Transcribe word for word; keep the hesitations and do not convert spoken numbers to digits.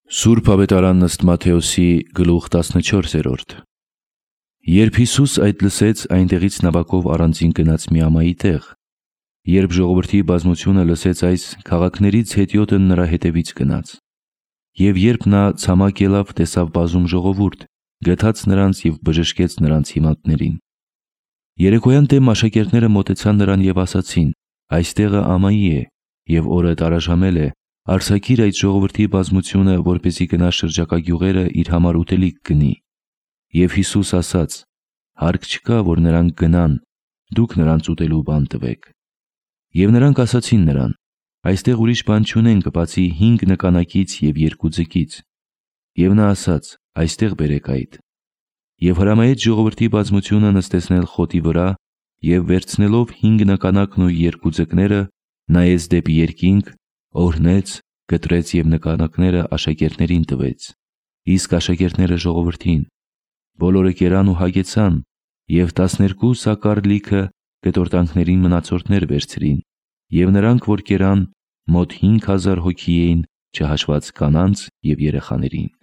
Սուրբ Ավետարան ըստ Մատթեոսի գլուխ տասնչորսերորդ։ Երբ Հիսուս այդ լսեց, այնտեղից նավակով առանձին գնաց մի ամայի տեղ։ Երբ ժողովրդի բազմությունը լսեց այս, քաղաքներից հետիոտը նրա հետևից գնաց։ Եվ երբ նա ցամաք ելավ, տեսավ բազում ժողովուրդ, գթաց նրանց և բժշկեց նրանց հիվանդներին։ Երեկոյան դեմ աշակերտները մոտեցան նրան և ասացին. «Այս տեղը ամայի է, և օրը տարաժամել է, արձակիր այդ ժողովրդի բազմությունը, որպեսզի գնա շրջակա գյուղերը իր համար ուտելիք գնի»։ Եվ Հիսուս ասաց. «Հարկ չկա, որ նրանք գնան, դուք նրանց ուտելու բան տվեք»։ Եվ նրանք ասացին նրան. «Այստեղ ուրիշ բան չունենք, բացի հինգ նկանակից և երկու ձկից»։ Եվ նա ասաց. «Այստեղ բերեք այդ»։ Եվ հրամայեց ժողովրդի բազմությունը նստեցնել խոտի վրա, և վերցնելով հինգ նկանակն ու երկու ձկները, նայեց դեպի երկինք, օրհնեց, կտրեց և նկանակները աշակերտներին տվեց, իսկ աշակերտները ժողովրդին։ Բոլորը կերան ու հագեցան, և տասներկու սակար լիքը կտորտանքների մնացորդներ վերցրին, և նրանք, որ կերան, մոտ հինգ հազար հոգի էին, չհաշված կանանց և երեխաներին։